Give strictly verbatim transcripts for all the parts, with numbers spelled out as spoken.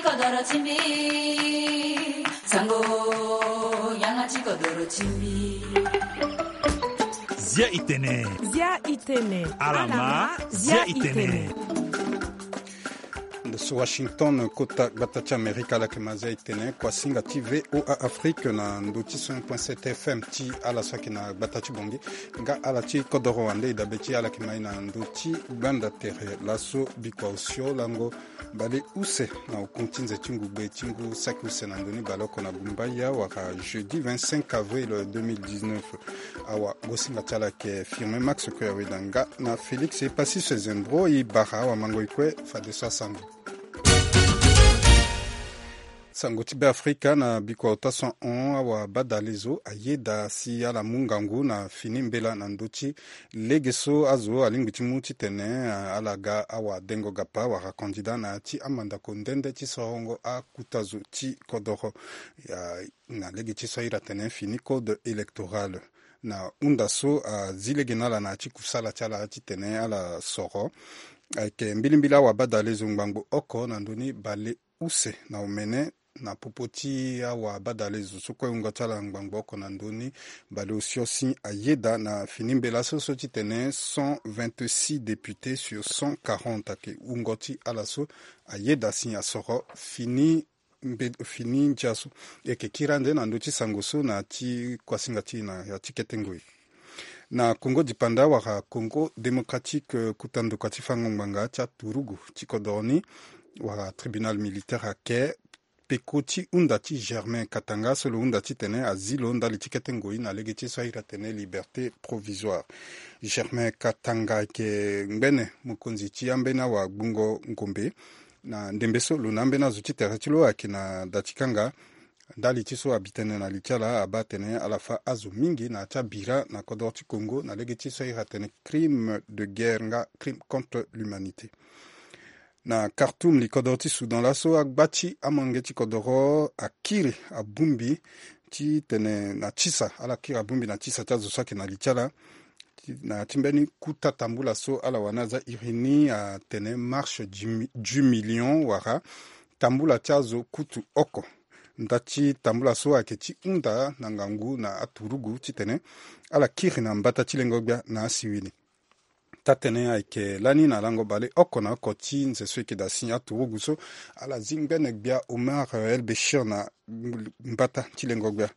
Kodoro ti mbi, sango, yanga ti kodoro ti mbi. Zia itene. Zia itene. Alama, zia itene. Ndo so Washington, kota gbata ti Amerika, ala yeke ma zia itene, kuasinga ti V O A Afrique na ndo ti cent point sept F M ti ala so ayeke na gbata ti Bongi. Nga ala ti kodoro wande e dabe ti ala yeke ma e na ndo ti gbanda tere laso bikua osio lango bale use na oku ti nze ti ngugbe ti ngu saki use na ndoni baleoko na gumbaya wala jeudi vingt-cinq avril deux mille dix-neuf. Awa, gosinga ti ala yeke Firmin Max Kue Aweda nga na Félix Epassis Zembro. E bara awamango e kue fadeso asango. Sango ti Beafrika na bikua ota so ahon, awabadalezo ayeda si ala mu ngangu na fini mbela na ndö ti lege so azo alingbi ti mu titene, ah, ala ga awadengo gapa wala candidat na ya ti amandako nde nde ti sorongo akuta zo ti kodoro. Ya, na lege ti so ahiri atene fini code électoral. Na hunda so azi lege na ala na ya ti kusala ti ala titene ala soro, ayeke mbilimbili awabadalezo ngbangbo oko na ndö ni bale use na omene na popo ti awabadalezo so kue wungo ti ala ngbangbo oko na ndö ni bale osio si ayeda na fini mbela so so titene cent vingt-six députés sur cent quarante ayeke wungo ti ala so ayeda si asoro fini mbe-, fini ndia so. E yeke kiri ande na ndö ti sango so na ya ti kuasinga ti e na ya ti kete ngoi. Na Congo dipanda wala Congo démocratique, eh, kota ndokua ti fango ngbanga ti aturugu ti kodoro ni wala tribunal militaire ayeke peko ti hunda ti Germain Katanga so lo hunda titene azi lo ndali ti kete ngoi na lege ti so ahiri atene liberté provisoire. Germain Katanga ayeke ngbene mokonzi ti ambeni awagbungo ngombe. Na ndembe so lo na ambeni azo ti tere ti lo ayeke na da ti kanga. Ndali ti so abi tënë na li ti ala abaa atene ala fa azo mingi na ya ti abira na kodoro ti Congo na lege ti so ahiri atene crime de guerre nga crime contre l'humanité. Na Khartoum, li kodoro ti Soudan laso, agba ti amolenge ti kodoro akiri abongbi titene na tisa, ala kiri abongbi na tisa ti azo so ayeke na li ti ala. Ti, na ti mbeni kuta tambula so ala wani aza iri ni atene marche du mi-, du million wala tambula ti azo kutu oko. Nda ti tambula so ayeke ti hunda na ngangu na aturugu titene ala kiri na mbata ti lengo gbia na asiwili. Taa-tënë ayeke lani na lango baleoko na oko ti nze so e yeke daa si aturugu so ala zi ngbene gbia Omar El Béchir na mbata ti lengo gbia.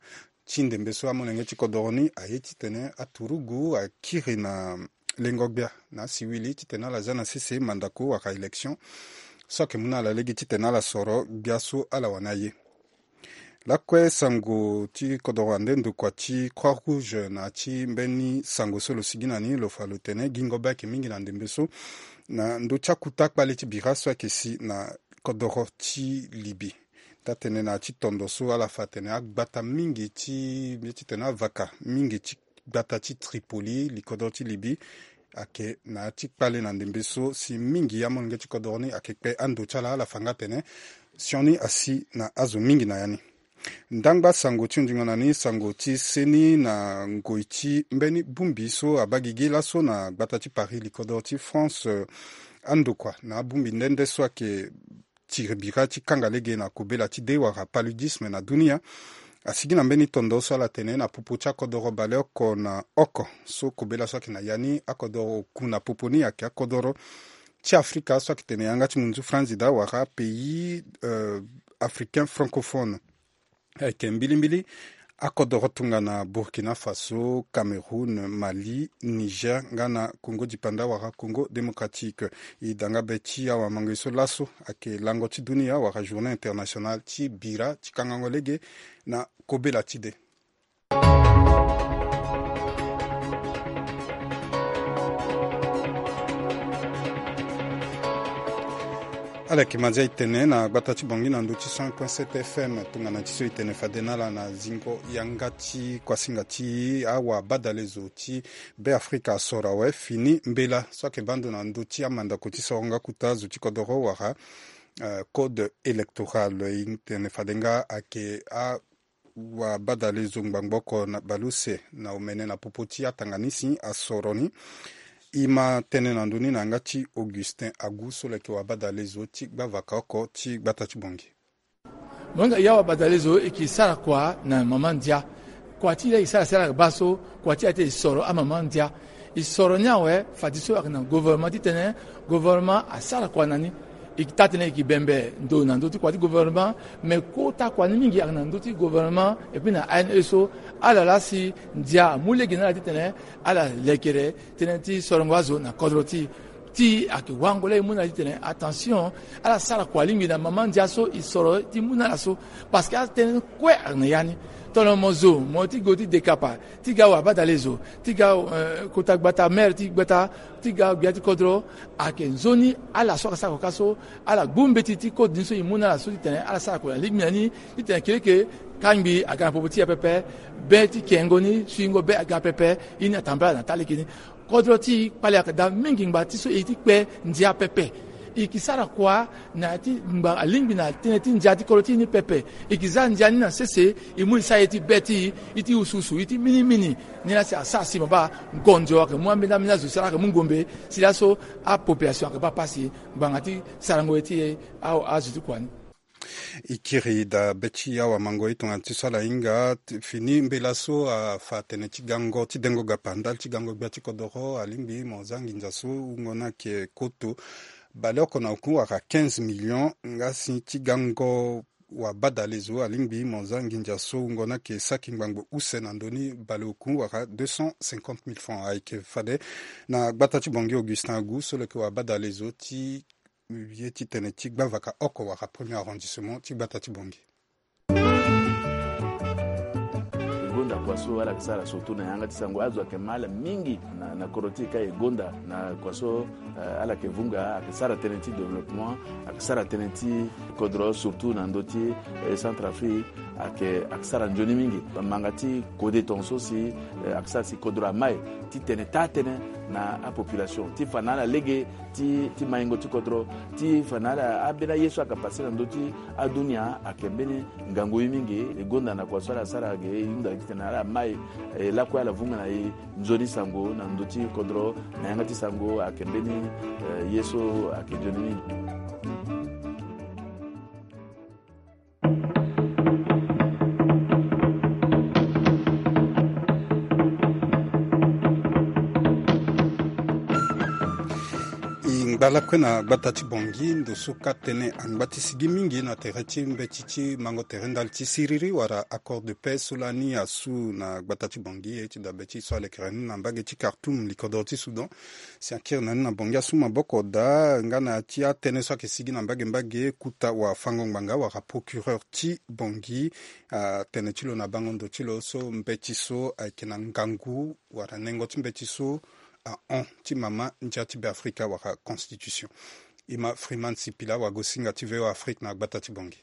Ti ndembe so amolenge ti kodoro ni aye titene aturugu akiri na lengo gbia na asiwili titene ala za na sese mandako wala élection so ayeke mu na ala lege titene ala soro gbia so ala wani aye. Lakue sango ti kodoro ande ndokua ti Croix Rouge na ya ti mbeni sango so lo sigi na ni lo fa lo tene gingo be ayeke mingi na ndembe so na ndö ti akuta kpale ti bira so ayeke si na kodoro ti Libye. Taa-tënë na ya ti tondo so ala fa atene agbata mingi ti mbi titene avaka mingi ti gbata ti Tripoli, li kodoro ti Libye, ayeke na ya ti kpale na ndembe so si mingi amolenge ti kodoro ni ayeke kpe ando ti ala, ala fa nga atene sioni asi na azo mingi na ya ni. Ndangba sango ti ondingo na ni sango ti seni na ngoi ti mbeni bongbi so abaa gigi laso na gbata ti Paris, li kodoro ti France, eh, andokua na abongbi nde nde so ayeke tiri bira ti kanga lege na kobela ti de wala paludisme na dunia. Asigi na mbeni tondo so ala tene na popo ti akodoro baleoko na oko so kobela so ayeke na ya ni akodoro oku na popo ni ayeke akodoro ti Afrika so ayeke tene yanga ti munzu franzida wala pays, euh, africain francophone. Ayeke mbilimbili akodoro tongana Burkina Faso, Cameroun, Mali, Niger nga na Congo dipanda wala Congo démocratique. E da nga be ti awamango ye so laso ayeke lango ti dunia wala journée internationale ti bira ti kangango lege na kobela ti de. Ala yeke ma nzia e tene na gbata ti Bangui na ndö ti cent point sept F M. Tongana ti so e tene fade na ala na zingo yanga ti kuasinga ti awabadalezo ti Beafrika asoro awe fini mbela so ayeke baa ndo na ndö ti amandako ti sorongo akuta zo ti kodoro wala, eh, code électoral. E tene fade nga ayeke a wabadalezo ngbangbo oko na baleuse na omene na popo ti atanga ni si asoro ni. E ma tene na ndö ni na yanga ti Augustin Agu so lo yeke wabadalezo ti gbavaka oko ti gbata ti Bangui. Mo hinga ya wabadalezo, e ke sara kua na mama ndia. Kua ti e laa e sara sara baa so, kua ti e ate e soro amama ndia. E soro ni awe, fadeso ayeke na gouvernement titene gouvernement asara kua na ni. E ke taa tënë e ke bembe ndo na ndö ti kua ti gouvernement, me kota kua ni mingi ayeke na ndö ti gouvernement, epui na A N E so ala laa si ndia amu lege na ala titene ala lekere tënë ti sorongo azo na kodro ti e. Ti ayeke wango laa e mu na ala titene attention, ala sara kua lingbi na mama ndia so e soro ti mu na ala so. Parce que atënë kue ayeke na ya ni. Tongana mo zo mo ti go ti dekapa, ti ga wabadalezo, ti ga, eh, kota gbata, maire ti gbata, ti ga gbia ti kodro, ayeke nzoni ala so ayeke sara kua ka so, ala gbu mbeti ti code ni so e mu na ala so titene ala sara kua na lingbi na ni, titene keleke kangbi aga na popo ti e pepe, be ti kengo ni, suingo be aga pepe, ye ni atambala na taa lege ni. Kodro ti e kpale ayeke daa mingi ngba ti so e ye ti kpe ndia pepe. E ke sara kua na ya ti ngba alingbi na tënë ti ndia ti kodro ti e ni pepe. E ke za ndia ni na sese, e mu e sara ye ti be ti e, ye ti usuusu, ye ti minimini. Ni laa si asara si mo baa ngonzo ayeke mu ambeni ambeni azo si ala yeke mu ngombe, si laso apopulation ayeke baa pasi ngbanga ti sarango ye ti e, a, azo ti kua ni. E kiri daa be ti awamango ye tongana ti so ala hinga ti fini mbela so afa tene ti gango ti dengo gapa ndali ti gango gbia ti kodoro, alingbi mo za nginza so wungo ni ayeke koto baleoko na oku wala quinze millions, nga si ti gango wabadalezo alingbi mo za nginza so wungo ni ayeke saki ngbangbo use na ndö ni baleoku wala deux cent cinquante mille francs. Ayeke fade na gbata ti Bangui Augustin Agu so lo yeke wabadalezo ti ye ti tene ti gbavaka oko wala premier arrondissement ti gbata ti Bangui. E gonda kua so ala yeke sara surtout na yanga ti sango, azo ayeke ma ala mingi na, na kodro ti e ka e gonda na kua so, eh, ala yeke vunga, ayeke sara tënë ti développement, ayeke sara tënë ti kodro surtout na ndö ti, eh, Centrafrique, ayeke, ayeke sara nzoni mingi. Manga ti kode tongaso si, eh, ayeke sara si kodro amai ti tene taa tënë na apopulation ti fa na ala lege ti, ti maingo ti kodro, ti fa na ala ambeni aye so ayeke pase na ndö ti adunia ayeke mbeni ngangu ye mingi. E gonda na kua so ala sara ge, e hunda titene ala mai, e lakue ala vunga na e nzoni sango na ndö ti kodro na yanga ti sango ayeke mbeni, eh, ye so ayeke nzoni mingi. E ngba lakue na gbata ti Bangui, ndo so ka tënë angba ti sigi mingi na tere ti mbeti ti mango tere ndali ti siriri wala accord de paix so lani asu na gbata ti Bangui, ye ti dabe ti so alekere ni na mbage ti Khartoum, likodro ti Soudan. Si akiri na ni na Bangui asu maboko daa nga na ya ti atënë so ayeke sigi na mbage mbage, kota wafango ngbanga wala procureur ti Bangui atene ti lo na bango ndo ti lo so mbeti so ayeke na ngangu wala nengo ti mbeti so ahon ti mama ndia ti Beafrika wala constitution. E ma Freeman Sipila, wagosinga ti V O A Afrique na gbata ti Bangui.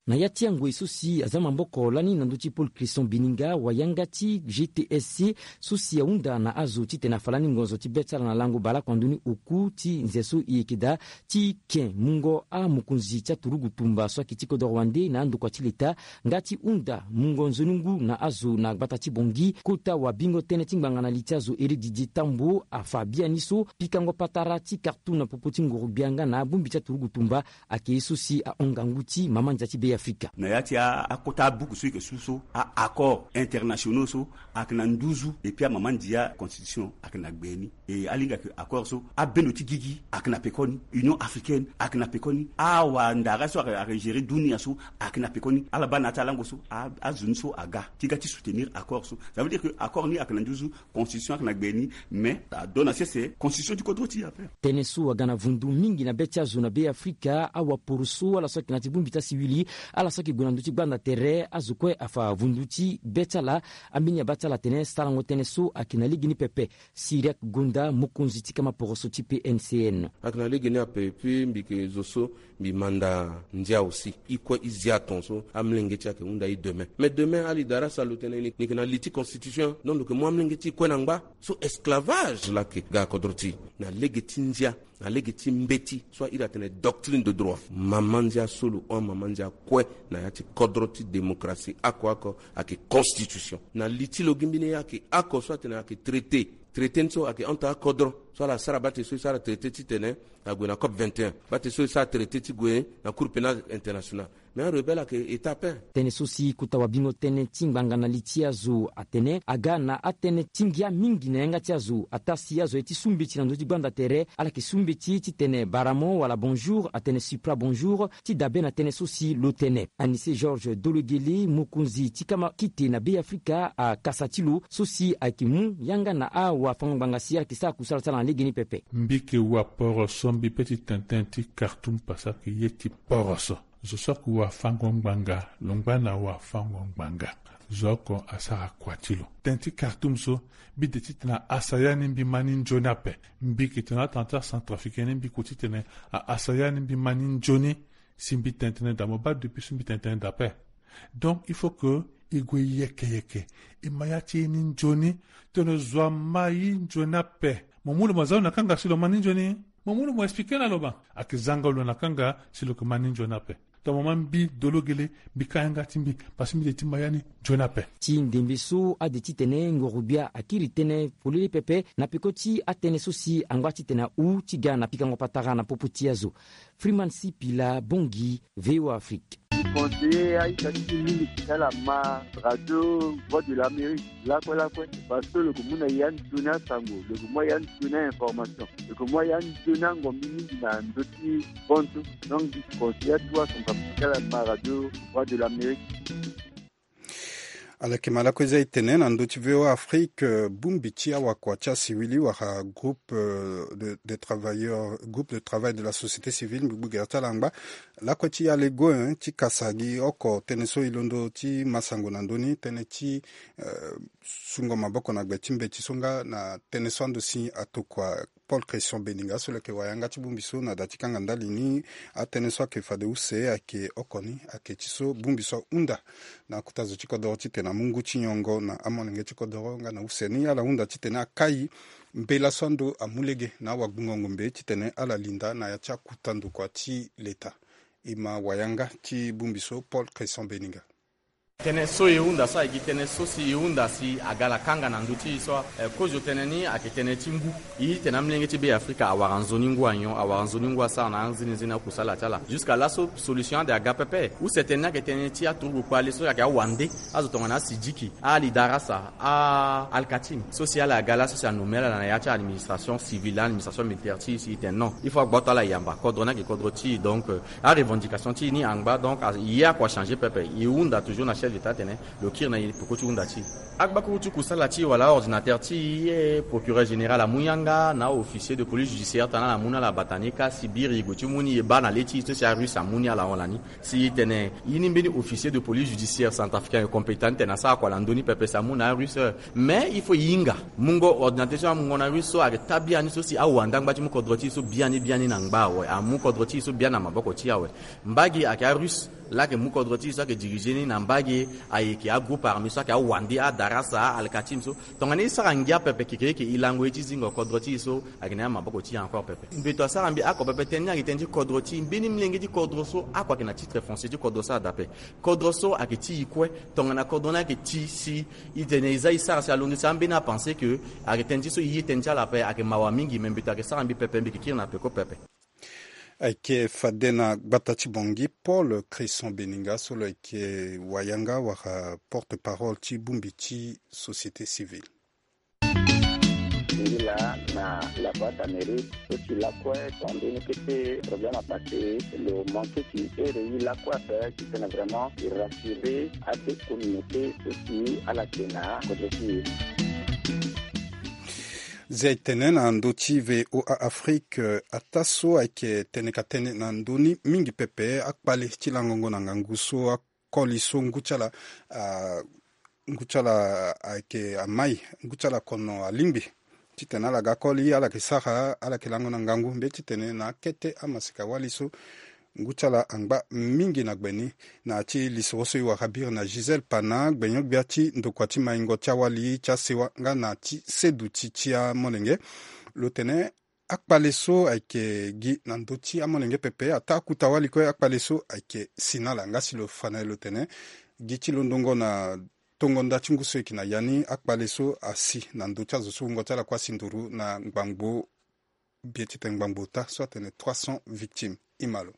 Na ya ti angoi so si aza maboko lani na ndö ti Paul Crisson Bininga, wayanga ti G T S C so si ahunda na azo titene afa lani ngonzo ti be ti ala na lango baleoko na ndö ni oku ti nze so e yeke daa ti ken mungo amokonzi ti aturugu tumba so ayeke ti kodoro wande na andokua ti leta, nga ti hunda mungo nzoni ngu na azo na gbata ti Bangui. Kota wabingo tënë ti ngbanga na li ti azo Éric Didier Tambo afa biani so pikango patara ti Khartoum na popo ti nguru-gbia nga na abongbi ti aturugu tumba ayeke ye so si ahon ngangu ti mama ndia ti Beafrika. Na ya ti a, akota abuku so e yeke su so, a accords internationaux so ayeke na nduzu, et puis amama ndia constitution ayeke na gbe ni. E alingbi ayeke accord so, abendo ti gigi ayeke na pekoni, Union africaine ayeke na pekoni, awandara so ayeke, ayeke gérer dunia so ayeke na pekoni. Ala baa na ya ti alango so, a, azo ni so aga ti ga ti soutenir accord so. Ça veut dire que accord ni ayeke na nduzu, constitution ayeke na gbe ni, mais adona sese constitution ti kodro ti e ape. Tënë so aga na vundu mingi na be ti azo na Beafrika, awaporo so, ala so ayeke na ya ti bongbi ti asiwili, ala so ayeke gue na ndö ti gbanda tere, azo kue afa vundu ti be ti ala. Ambeni abaa ti ala atene sarango tënë so ayeke na legeni pepe. Siriak Gonda, mokonzi ti kama poroso ti P N C N. Ayeke na legeni ape, et puis mbi yeke zo so mbi manda ndia aussi. E kue e zia ton so amolenge ti e ayeke hunda e demain. Mais demain ala e daa sara lo tene ni, ni yeke na li ti constitution. Donc lo yeke mu amolenge ti e kue na ngba. So esclavage laa ayeke ga kodro ti e na lege ti ndia, na lege ti mbeti so a iri atene doctrine de droit. Mama ndia so lo hon amama ndia kue na ya ti kodro ti démocratie oko oko ayeke constitution. Na li ti lo gi mbeni ye ayeke oko so atene ayeke traité. Traité ni so ayeke hon taa kodro so ala sara bate so e sara traité titene ague na cop vingt et un, bate so e sara traité ti gue na cour pénal international. Mais arebelle ayeke eta ape. Tënë so si kota wabingo tënë ti ngbanga na li ti azo atene aga na atënë ti ngia mingi na yanga ti azo ataa si azo ye ti su mbeti na ndö ti gbanda tere ala yeke su mbeti titene baramo wala bonjour atene supra bonjour ti dabe na tënë so si lo tene. Anise Georges Dologele, mokonzi ti kama kite na Be Afrika, akasa ti lo so si ayeke mu yanga na awafango-ngbanga si ala yeke sara kusala ti ala na legeni pepe. Mbi yeke waporoso mbi pe ti tene tënë ti Khartoum parce que ye ti poroso. Zo so ayeke wafango-ngbanga lo ngba na wafango-ngbanga. Zo oko asara kua ti lo. Tënë ti Khartoum so, mbi de titene a asaya ni mbi ma ni nzoni ape. Mbi yeke tene atene ti acentrafricain ni mbi ko titene a asaya ni mbi ma ni nzoni. Si mbi tene tënë daa mo baa depuis so mbi tene tënë daa ape. Donc il faut que e gue yeke yeke, e ma ya ti e ni nzoni. Tene zo ama ye nzoni ape. Mo mu lo mo zia lo na kanga si lo ma ni nzoni. Mo mu lo mo expliqué na lo ma. Ayeke zanga lo na kanga si lo yeke ma ni nzoni ape. Tongana mo ma mbi Dologele, mbi ka yanga ti mbi parce que mbi de ti ma ya ni nzoni ape. Ti ndembe so ade titene ngorogbia akiri tënë polele pepe na peko ti atënë so si angba titene ahu ti ga na pikango patara na popo ti azo. Freeman Sipila Bongi, V O A Afrique. Conseiller aita ti mingi ti ala ma radio Voix de l'Amérique lakue lakue, parce que lo yeke mu na ya nzoni asango, lo yeke mu ya nzoni ainformation, lo yeke mu ya nzoni angombi mingi na ndö ti bonso. Donc mbi conseiller atuwa son papi ti ala ma radio Voix de l'Amérique. Ala yeke ma lakue za e tene na ndö ti V O A Afrique, eh, bongbi ti awakua ti asiwili wala groupe, eh, de, de travailleurs, groupe de travail de la société civile, mbi gbu gere ti ala angba lakue ti alego, eh, ti kasa gi oko tënë so e londo ti ma sango na ndö ni, tënë ti, eh, sungo maboko na gbe ti mbeti so nga na tënë so ando si atokua Paul Christian Beninga so lo yeke wayanga ti bongbi so na da ti kanga ndali ni. Atënë so ayeke fade use ayeke oko ni ayeke ti so bongbi so ahunda na akota zo ti kodoro titene amu ngu ti nyongo na amolenge ti kodoro nga na use ni ala hunda titene akai mbela so ando amu lege na awagbungo ngombe titene ala linda na ya ti akuta ndokua ti leta. E ma wayanga ti bongbi so Paul Christian Beninga. Tënë so e hunda so ayeke gi tënë so si e hunda si aga ala kanga na ndö ti e so, eh, kozo tënë ni ayeke tënë ti ngu. E tene amolenge ti Be Afrika awara nzoni ngu anyon, awara nzoni ngu asara na anzini nzini akusala ti ala. Jusqu'à laso solution ade aga pepe. Use tënë ni ayeke tënë ti aturugu kpale so ayeke awande azo tongana asidiki, ali darasa, a alkatim so si ala aga laso si anommé ala na ya ti administration civile, administration militaire ti e si e tene non. Il faut agboto ala yamba. Kodro ni ayeke kodro ti e, donc, euh, arevendication ti e ni angba, donc, a, e ye akua changé pepe. E hunda toujours na chef d'état atene lo kiri na e peko ti hunda ti e. Agbakuru ti kusala ti e wala aordinateur ti e, procureur général amu yanga na aofficier de police judiciaire tana ala mu na ala bata ni ka si biri e gue ti mu ni e baa na le ti e so si arusse amu ni ala hon lani. Si e tene e ni mbeni officier de police judiciaire centrafricain ayeke compétent ni tene asara kua na ndö ni pepe si amu na arusse. Mais il faut e hinga. Mungo ordinateur so amungo na russe so ayeke taa biani so si awande angba ti mu kodro ti e so biani biani na ngba awe. Amu kodro ti e so biani na maboko ti e awe. Mbage ayeke arusse laa ayeke mu kodro ti e so ayeke dirigé ni na mbage ayeke agroupe armé so ayeke awande adarasa alkatim so. Tongana e sara ngia pepe kekereke e lango ye ti zingo kodro ti e so ayeke na ya maboko ti e encore pepe. Mbeto asara mbi oko pepe tënë ni ayeke tënë ti kodro ti e. Mbeni molenge ti kodro so oko ayeke na titre foncier ti kodro so adape. Kodro so ayeke ti e kue. Tongana kodro ni ayeke ti e si e tene e za e sara si alondo si ambeni apense ke ayeke tënë ti so e ye tënë ti ala ape ayeke mawa mingi me mbeto ayeke sara mbi pepe mbi yeke kiri na peko pepe. Ayeke fade na gbata ti Bangui Paul Christian Beninga so lo yeke wayanga wala porte-parole ti bongbi ti société civile. Ngila na la voix d'Amérique so si lakue ton mbeni kete problème apase lo manke si ere ye lakue ape titene vraiment e rassurer ade communauté so si ala yeke na kodro ti e. Zia e tene na ndö ti VOA Afrique, eh, ataa so ayeke tene ka tene na ndö ni mingi pepe akpale ti langongo na ngangu so akoli so ngu ti ala, ah, ngu ti ala ayeke amai, ngu ti ala kono alingbi titene ala ga koli, ala yeke sara, ala yeke lango na ngangu mbeti titene na akete amaseka wali so ngu ti ala angba mingi na gbe ni. Na ya ti lisoro so e wara biri na Gisèle Pana, gbenyo-gbia ti ndokua ti maingo ti awali ti asewa nga na ti seduti ti amolenge. Lo tene akpale so ayeke gi na ndö ti amolenge pepe, ataa akuta wali kue akpale so ayeke si na ala. Nga si lo fa na e lo tene gi ti londongo na tongo nda ti ngu so e yeke na ya ni, akpale so asi na ndö ti azo so wungo ti ala kue asi nduru na ngbangbo, bie titene ngbangbo ota so atene trois cents victimes. Imalo.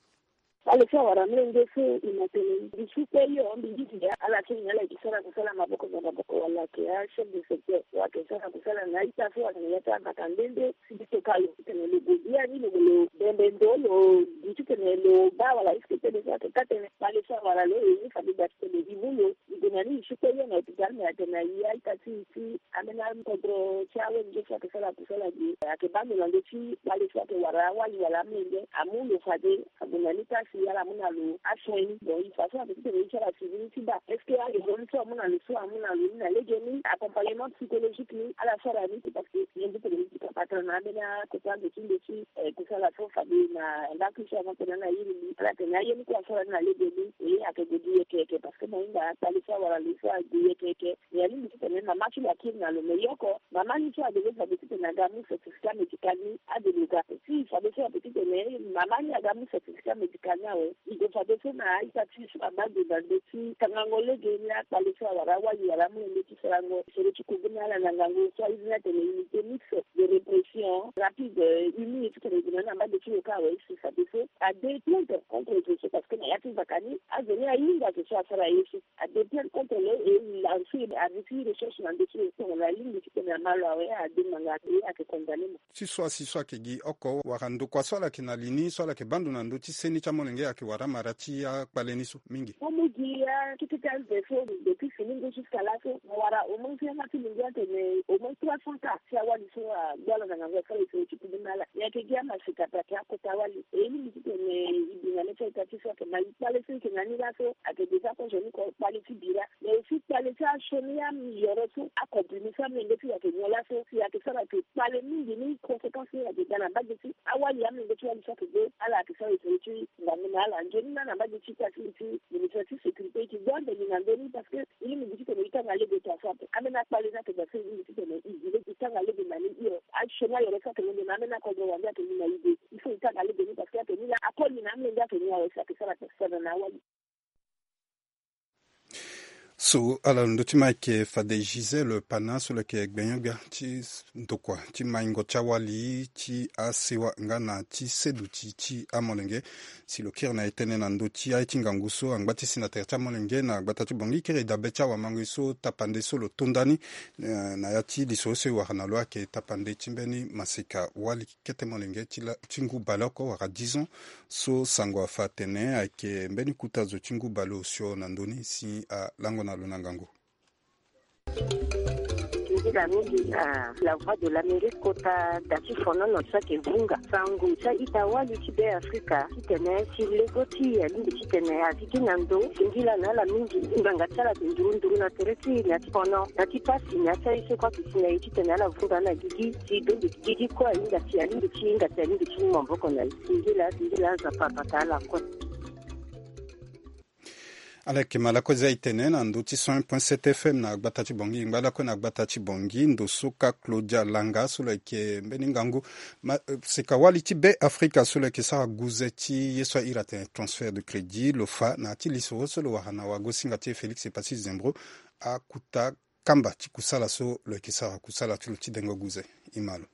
Kpale so awara mlenge so e ma tene mbi su kpe hio, mbi gi ti ya ala so nyen ala yeke sara kusala maboko na maboko wala ayeke achef de secteur wala ayeke sara kusala na a-ita so atene ya ti abaka nde nde si mbi toka lo titene lo gue bia ni lo gue lo bembe ndo lo gi titene lo baa wala est-ce que tënë so ayeke ka tënë. Kpale so awara lo e ni fade da titene e mu lo. Mbi gue na ni e su kpe hio na hôpital me atene na e a-ita ti e ti ambeni akodro ti awe nge so ayeke sara kusala ge ayeke baa ndo na ndö ti kpale so ayeke wara awali wala amlenge amu lo fade. Ague na ni kasi ala mu na lo asoin ni. Bon, il façon ayeke titene e ti ala suivi ni ti baa est-ce que aye zo ni so amu na lo so amu na lo ni na lege ni accompagnement psychologique ni ala sara ni. Parce que nyen ti tene ni ti kapatara na ambeni akota ndo ti ndo ti eh, kusala so fade na ndako ti ala tene na iri ni ala tene aye ni kue asara ni na lege ni. E ayeke gue gi yeke yeke parce que na hinga kpale so awara lo so ague yeke yeke. Mais alingbi titene mama ti lo akiri na lo mais yoko mama ni so adeve fade titene aga mu certificat médical ni ade lo ga. Si fade so ape titene mama ni aga mu certificat médical ni awe. E gue fade so na a-ita ti so abaa ndo na ndö ti kangango lege ni akpale so awara awali wala amolenge ti sarango soro ti kubu na ala na ngangu so airi ni atene unité mixte de répression rapide. Uni titene e gue na ni na mbage ti lo kâ awe. Si fade so ade plainte contre zo so parce que na ya ti nzaka ni azo ni ahinga zo so asara ye so. Ade plainte contre lo et il a aussi arrêté recherche na ndö ti lo tongana alingbi titene ama lo awe ade ngbanga e ayeke condamné mo. Ti so asi so ayeke gi oko wala ndokua so ala yeke na li ni so ala yeke baa ndo na ndö ti seni ti amolenge ayeke wara amara ti akpale ni so mingi. Mo mu gi akete ti azo so depuis fini ngu jusqu'à laso mo wara au moins ti yanga ti mingi atene au moins trois cents cas ti awali so agbu ala na ngangu asara e so ti kubu na ala. E yeke gi amaseka pe ayeke akota wali e lingbi titene e bi na mê ti a-ita ti so ayeke ma e kpale so e yeke na ni laso ayeke déjà kozo ni ko kpale ti bira. Mais aussi kpale ti asioni ayoro so akomprimé so amolenge ti lo ayeke nyon laso si ayeke sara ayeke kpale mingi ni conséquence ni ayeke ga na mbage ti awali amolenge ti wali so ayeke gbe ala ayeke sara e so ti ngangu na ala nzoni na na mbage ti ita ti lo ti ministre ti sécurité e yeke gbu ande ni na ndö ni parce que e lingbi titene e tanga lege to aso ape ambeni akpale ni ayeke daa so e lingbi titene e gi lege e tanga lege na ni hio. Asioni ayoro so ayeke londo na ambeni akodro wande ayeke ni na e de il faut e tanga lege ni parce que ayeke ni laa akoli na amolenge ayeke ni awe si ayeke sara ape si tana na awali. So ala lo ndö ti ma ayeke fade Gisèle Pana so lo yeke gbenyo-gbia ti ndokua ti maingo ti awali ti asewa nga na ti seduti ti amolenge. Si lo kiri na e tënë na ndö ti aye ti ngangu so angba ti si na tere ti amolenge na gbata ti Bangui kiri dabe ti awamango so tapande so lo to nda ni, eh, na ya ti lisoro so e wara na lo ayeke tapande ti mbeni maseka wali kete molenge ti la, ti ngu baleoko wala dix ans. So sango afa atene ayeke mbeni kota zo ti ngu baleosio na ndö ni si alango na lo na ngangu. Nzila mingi na La Voix de l'Amérique kota da ti fonono so ayeke vunga sango ti a-ita wali ti Be Afrika titene si lego ti e alingbi titene azi gi na ndo singila na ala mingi. Ngbanga ti ala ayeke nduru nduru na tere ti e na ya ti fono na ti pasi na ya ti aye so kue ayeke si na e titene ala vunga na gigi si bembe gigi kue ahinga si alingbi ti hinga si alingbi ti mu maboko na e. Singila singila Nzapa abata ala kue. Ala yeke ma lakue za e tene na ndö ti cent un point sept F M na gbata ti Bangui. Ngba lakue na gbata ti Bangui ndo so ka Claudia Langa so lo yeke mbeni ngangu ma, eh, seka wali ti Be Afrika so lo yeke sara guze ti ye so a iri atene transfert de crédit lo fa na ya ti lisoro so lo wara na wagosinga ti e Félix Epassi Zembro akuta kamba ti kusala so lo yeke sara kusala ti lo ti dengo guze. E ma lo.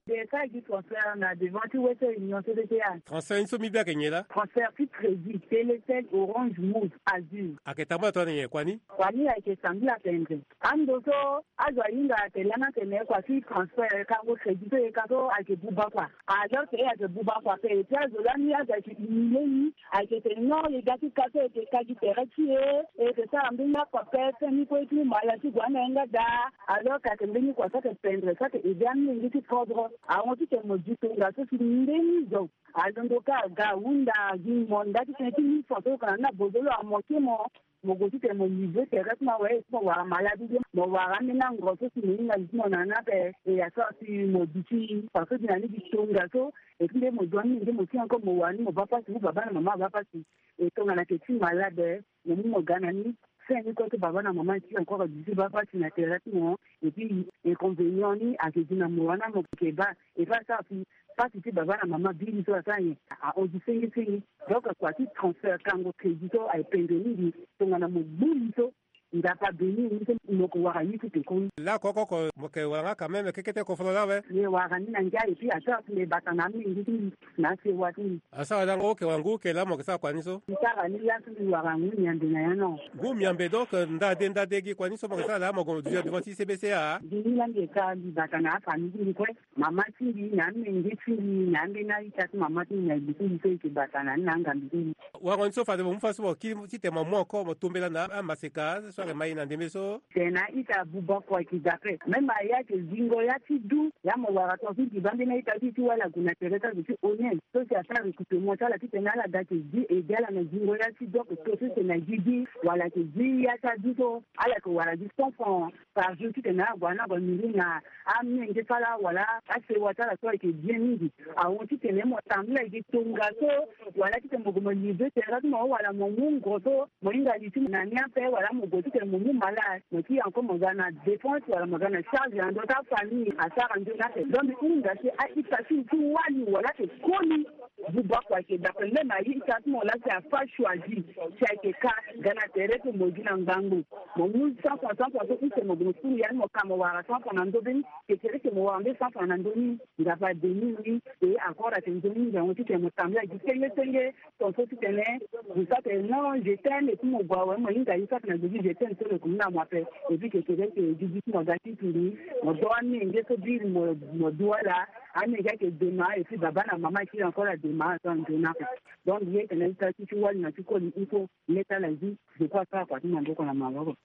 Mbi yeke sara gi transfert na devant ti Western Union, C B T A. Transfert ni so mbi bi ayeke nyen laa? Transfert ti crédit Telecel, Orange, Moov, Azur. Ayeke tambula tongana nyen kua ni? Kua ni ayeke tambula tendre. Ando so azo ahinga atene lani atene kua ti transfert kango crédit so e ka so ayeke buba kua. Alors que e ayeke buba kua ape. Et puis azo lani azo ayeke humilier ni. Ayeke tene non, e ga ti ka so e yeke ka gi tere ti e, e yeke sara mbeni akua pepe ni kue ti mu mala ti gue na yanga daa. Alors que ayeke mbeni kua so ayeke pendre so ayeke aider amolenge ti kodro. Ahon titene mo di tongaso si mbeni zo alondo kâ aga ahunda agi mo nda titene ti mille francs so oko na ni na bozo lo amoke mo. Mo gue titene mo livrer tere ti mo awe ti mo wara malade de mo wara ambeni ango so si mo hinga li ti mo na ni ape. E asara si mo duti faso ti na ni gi tongaso. Et puis nde mo zo ni nde mo ti encore mo wara ni mo baa pasi ou baba na mama abaa pasi. E tongana ayeke ti malade mo mu mo ga na ni. Fin ni kue ti baba na mama ni ti encore duti baa pasi na tere ti mo. Et puis inconvénient ni ayeke gi na mo wana mo yeke baa. Et puis asara si pasi ti baba na mama bi li so asara nyen? Ahon gi senge senge. Donc kua ti transfert kango crédit so aye pendre mingi. Tongana mo gbu li so Nzapa abeni ni so mo ko wara ni ti pekoni. Laa koko oko mo ke wara nga quand même kekete kofolo laa we. Ye wara ni na ngia eti ato akunde bata na amenge ti ni na asewa ti ni. Asara lango oke wara ngu oke laa mo ke sara kua ni so. Nsara ni laa so mbi wara ngu miambe na ya no. Ngu miambe donc ndade ndade gi kua ni so mo ke sara laa mo gue mo duti na devant ti C B C A. Gi ni laa mbi ka mbi bata na afamille ti mbi kue. Mama ti mbi na amenge ti mbi na ambeni a-ita ti mama ti mbi na li ti mbi so eke bata na ni na angambi ti mbi. Wango ni so fade mo mu fa so mo kiri titene mo mu encore mo tombela na amaseka so ayeke ma e na ndembe so. Tene a-ita buba kua eke dape même aya eke zingo ya ti du ya mo wara tongaso mbi ba ambeni a-ita ti ti wala gue na tere ti azo ti honnête so si asara recrutement ti ala titene ala ga eke zi ede ala na zingo ya ti du oko to so si tene na gigi wala eke zi ya ti adu so ala eke wara gi cent francs par jour titene ala gue na ala gue miri na amenge ti ala wala asewa ti ala so ayeke bien mingi. Ahon titene mo tambula eke tongaso wala titene mo gue mo livre terrain ti mo wala mo mu ngo so mo hinga li ti mo na ni ape wala mo gue titene mo mu malade mo ti encore mo ga na dépense wala mo ga na charge na ndö ti afamille asara nzoni ape. Donc mbi hinga si a-ita ti mo ti wali wala eke koli buba kua eke dape même a-ita ti mo laa si afa choisi si ayeke ka ga na tere ti mo gi na ngbangbo. Mo mu cent francs cent francs so use mo gue mo fulu ya ni mo ka mo wara cent francs na ndö be ni. Eke tere eke mo wara nde cent francs na ndö ni. Nzapa abeni ni. E encore ayeke nzoni ngango titene mo tambula gi senge senge. Tongaso titene mo sara tene non je t'aime et puis mo gue awe mo hinga ye sara tene na gue ti je t'aime so lo eke mu na mo ape. Et puis eke tere eke gi gi ti mo ga ti tuli mo do amenge so biri mo mo du ala. Amenge ayeke dema et puis baba na mama eke encore adema so anzoni ape. Donc ye tene ita ti ti wali na ti koli il faut. Leta la vie. Je crois sara kua ti maboko na maboko.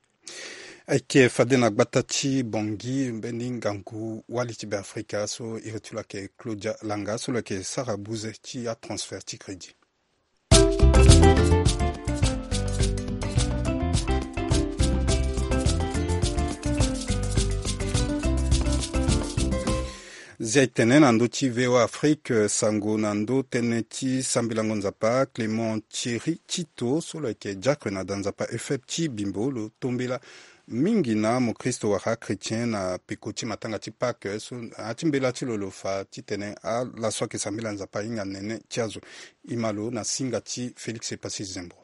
Ayeke fade na gbata ti Bangui mbeni ngangu wali ti Beafrika so iri ti lo ayeke Claudia Langa so lo yeke sara buze ti atransfert ti crédit. Zia e tene na ndö ti V O A Afrique, sango na ndö tënë ti sambelango Nzapa, Clément Thierry Tito so lo yeke diacre na da Nzapa E F E B ti Bimbo lo tombela mingi na amokristo wala achrétien na peko ti matanga ti Pâques so na ya ti mbela ti lo lo fa titene ala so ayeke sambela Nzapa ahinga nene ti azo. E ma lo na singa ti Félix Epassi Zembro.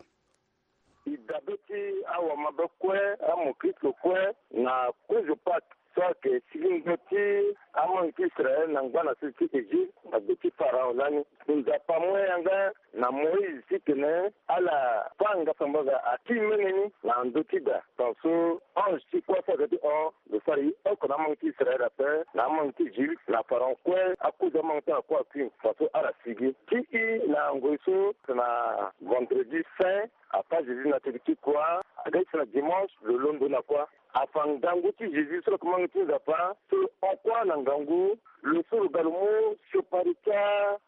E dabe ti awamabe kue, amokristo kue na kozo Pâques so ayeke sigingo ti amangi ti Israël na ngba na sese ti Égypte na gbe ti Pharaon lani. Nzapa amu yanga na Moïse titene ala fâ ngasangbaga akiri mene ni na ndö ti da. Tongaso ange ti kuâ so ayeke ti hon lo sara ye oko na amangi ti Israël ape na amangi ti Égypte na Pharaon kue, akozo amangi ti ala kue akui. Tongaso ala sigi ti i na ngoi so na vendredi saint. Apa Jésus na tëdë ti croix aga ti na dimanche lo londo na croix. Afa ngangu ti Jésus so lo yeke mangi ti Nzapa so lo hon croix na ngangu. Lo so lo ga lo mu siopari ti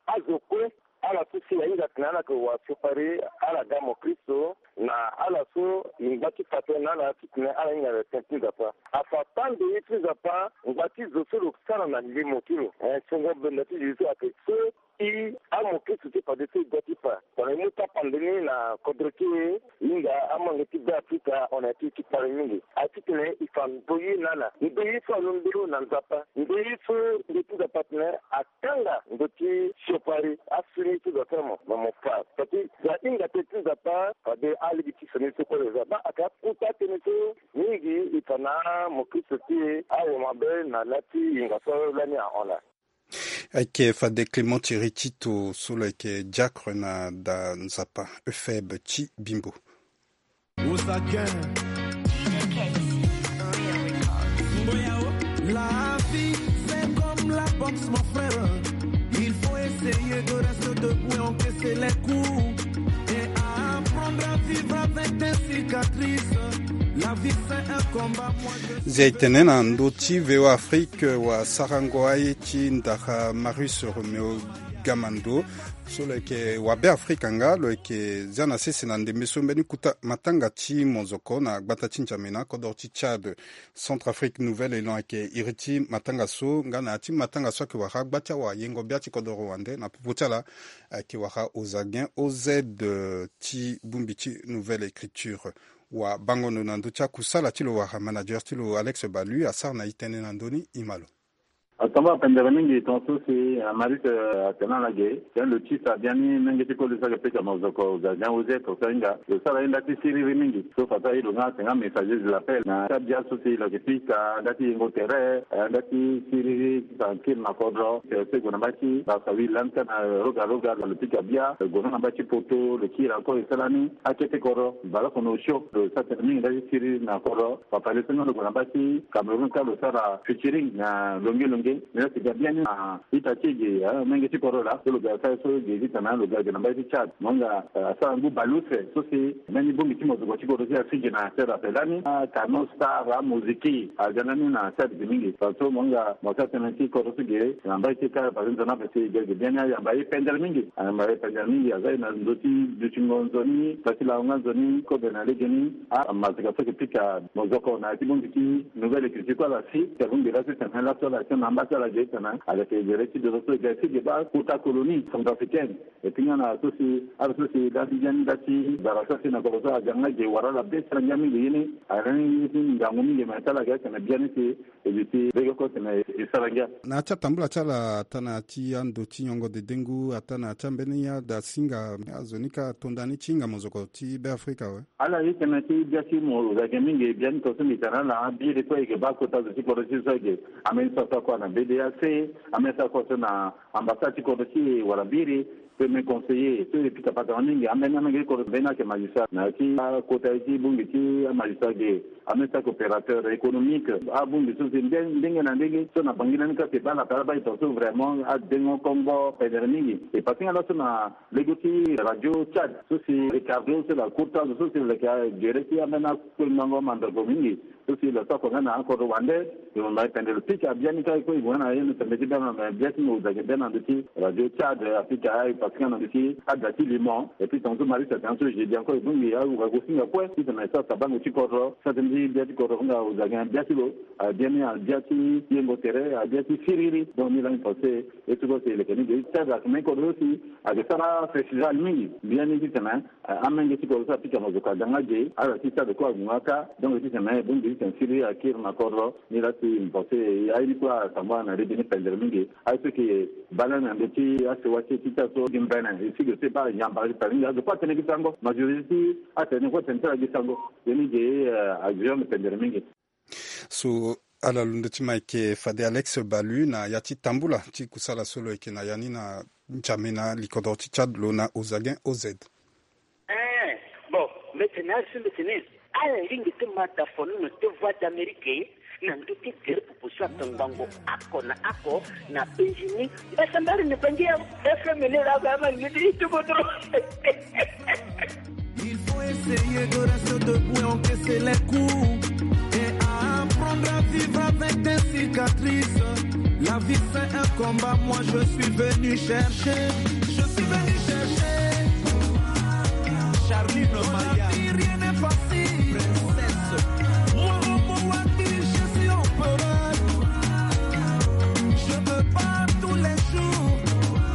azo kue. Ala so si ahinga tene ala yeke wa siopari ala ga mo Kristo na ala so e ngba ti fa tënë na ala titene ala hinga na tënë ti Nzapa. Afa pande ye ti Nzapa ngba ti zo so lo sara na limo ti lo. Eh, songo benda ti Jésus so ayeke so i amo Kristo ti fade so e ga ti fa tongana e mu tapande ni na kodro ti e. Hinga amange ti Beafrika hon na ya ti e ti kpale mingi. Aye titene e fa ndoye na ala. Ndoye so alondo na Nzapa. Ndoye so ndoye ti Nzapa atene akanga ndo ti siopari. Asioni so zo asara mo me mo fa. Fati zo ahinga tënë ti Nzapa fade alege ti sioni so kue lo za. Baa ayeke akota tënë so mingi e fa na amo Kristo ti e awo mabe na laa ti hinga so lani ahon laa. Ayeke fade Clément Thierry Tito so lo yeke diacre na da Nzapa E F E B ti Bimbo. La vie, c'est comme la boxe, mon frère. Il faut essayer de rester debout et encaisser les coups et apprendre à vivre avec des cicatrices. La vie, c'est un combat. Moi, je Zia e tene na ndö ti V O A Afrique, wa sarango aye ti ndara Marius Romeo Gamando so lo yeke wa Beafrika nga lo yeke zia na sese na ndembe so mbeni kuta matanga ti mozoko na gbata ti N'Djamena kodoro ti Tchad. Centrafrique Nouvel Élan ayeke iri ti matanga so nga na ya ti matanga so ayeke wara gba ti awayengo-bia ti kodoro wande na popo ti ala ayeke wara Ozagen O Z ti bongbi ti Nouvelle Écriture. Wa bango ndo na ndö ti akusala ti lo wala manager ti lo Alex Balu asara na e tënë na ndö ni, e ma lo. Atamba pendere mingi tongaso si Maris atene ala ge tene lo ti sa biani menge ti koli so ayeke pika mozoko Ozagen Ouzed tongaso ahinga lo sara ye nda ti siriri mingi so fa so aye lo nga atene nga messager de l'appel na ti abia so si lo yeke pika nda ti yengo tere, nda ti siriri ti fa kiri na kodro. Tene so e gue na mbage ti Brazzaville lani ka na roga roga lo pika bia, lo gue na mbage ti Poto lo kiri encore e sara ni akete kodro baleoko na osio lo sara tene mingi nda ti siriri na kodro. Papa le so nga lo gue na mbage ti Cameroun ka lo sara featuring na longe longe. Ni la si ga biani na ita ti e ge, ah, menge ti kodro laa so lo ga sara so ge ti tana lo ga ge na mbage ti Tchad. Mo nga, ah, asara ngu balustre so si mbeni bongbi ti mozoko ti kodro ti asigi na Tchad ape lani, ah, Kano Star, ah, Moziki aga ndani na Tchad ge mingi. Parce que mo nga mo sara tënë ti kodro so ge na mbage ti Tchad parce que nzoni ape si ge ge biani ayamba ye pendere mingi. Ayamba ye pendere mingi, aza ye na ndo ti dutingo nzoni, ndo ti lango nga nzoni, kobe na legeni. Ah, amazika so yeke pika mozoko na ya ti bongbi ti nouvelle écriture kue ala si, ti abongbi laso ti tene laso ala tene na mba ti ala ge ti tene ala yeke gere ti dozo so e ga e si ge baa kota colonie centrafricaine. E ti nga na so si ala so si laa ti ngia ni nda ti bara so si na kodro so aga nga ge wara ala be ti ala ngia mingi ye ni. Ala ni ye ti ngangu mingi me ti ala ga ti tene biani si e gi ti bege oko tene e sara ngia. Na ya ti atambula ti ala ata na ya ti ando ti nyongo dedengu ata na ya ti ambeni ada singa azo ni ka tonda ni ti hinga mozoko ti Beafrika awe. Ala ye tene ti bia ti mo zage mingi biani tongaso mbi tene ala abiri kue e yeke baa kota zo ti kodro ti so ayeke ambeni so ata kue na B D A C, ambeni so ata kue so na ambassade ti kodro ti e wala biri. Premier conseiller so e pika patara mingi ambeni amenge ti kodro mbeni ayeke magistrat na ya ti akota ye ti bongbi ti amagistrat ge. Ambeni so ayeke opérateur économique, abongbi so si nde ndenge na ndenge so na Bangui lani kâ si e baa na Taraba e tongaso vraiment adengo kongo pendere mingi. E pase nga laso na lego ti Radio Tchad so si Ricardo so la courtage so si lo yeke gere ti ambeni akue ngango mandroko mingi. So si lo sako nga na akodro wande, lo ma pendere lo pika biani kâ e kue e gue nga na ye na tembe ti bia na bia ti mo zage bia na ndö ti Radio Tchad, apika aye pase nga na ndö ti ada ti limon. Et puis tongaso Maris atene so jeudi encore e bongbi agosinga kue ti tene e sara sabango ti kodro. Sara tënë ti bia ti kodro nga ozage na bia ti lo, ah, biani abia ti yengo tere, abia ti siriri. Donc ni lani pensé e ti kue si e leke ni ge ti aga tene kodro so si ayeke sara festival mingi biani ti tene, ah, amenge ti kodro so apika mozoko aga nga ge ala ti stade kue ague nga kâ. Donc ti tene bongbi ti tene siriri akiri na kodro. Ni la si mbi pense aye ni kue asambara na lege ni pendere mingi. Aye so yeke baa lani na ndö ti asewa ti e ti taa so gi mbene e si ge so e baa yamba gi tara ni azo kue atene gi sango majorité ti atene kue atene ti ala gi sango. Ye ni ge, eh, azo yonde pendere mingi. So ala londo ti ma yeke fade Alex Balu na ya ti tambula ti kusala so lo yeke na ya ni na N'Djamena likodro ti Tchad lo na Ozagen Ouzed. Eh, bon, mbi tene azo mbi tene ala lingbi ti ma da fo ni na te Voix d'Amérique na ndö ti gere popo so atongbango ako na ako na Benjini. Mbasambari ni bangi ya F M ni la ba ma ni ti tuko dro. Il faut essayer de rester debout et encaisser les coups et apprendre à vivre avec des cicatrices. La vie c'est un combat, moi je suis venu chercher, je suis venu chercher. Charline Maya, rien n'est facile. Princesse, moi Robo Wadi, je suis empereur. Je me bats tous les jours.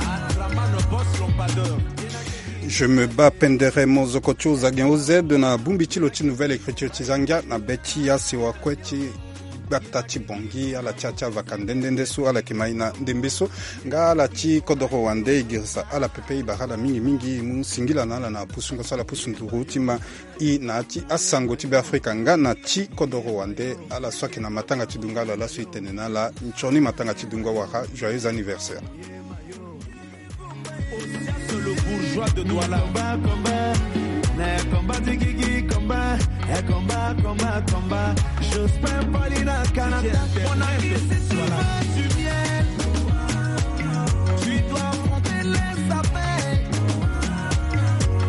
Adraman, le boss, l'ambassadeur. Je me bats pendere mozoko ti Ozagen Ouzed na bongbi ti lo ti Nouvelle Écriture ti za ngia na be ti asewa kue ti gbata ti Bangui. Ala ti ya ti avaka nde nde nde so ala yeke ma e na ndembe so. Nga ala ti kodoro wande e girisa ala pepe e bara ala mingi mingi e mu singila na ala na pusungo so ala pusu nduru ti ma e na ya ti asango ti Beafrika nga na ti kodoro wande. Ala so ayeke na matanga ti dunga ala laso e tene na ala nzoni matanga ti dunga wala joyeux anniversaire. Le bourgeois de Douala. Combat, combat, eh, combat, digigi, combat, eh, combat, combat, combat. Jospin Paulina Canada, mon ami, si tu veux du miel, tu dois affronter les abeilles.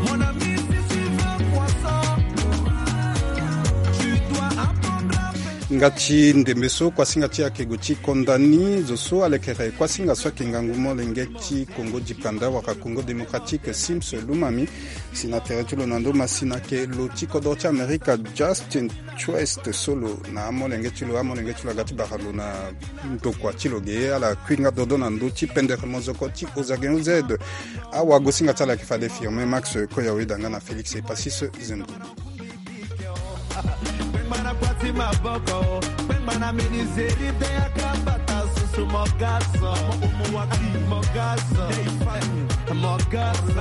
Mon ami, si tu veux poisson, tu dois apprendre à pêcher. Nga ti ndembe so kuasinga ti akego ti konda ni zo so alekere kuasinga so ayeke ngangu molenge ti Congo dikanda wala Congo démocratique Sims Lumami si na tere ti lo na ndo masina ayeke lo ti kodro ti Amerika Justin Quest so lo na amolenge ti lo amolenge ti lo aga ti bara lo na ndokua ti lo ge ala kui nga dodo na ndö ti pendere mozoko ti Ozagen Ouzed. Awagosinga ti ala ayeke fade Firmin Max Koyawe danga na Félix Epasis Zembo. Mogaza, Mogaza, Mogaza.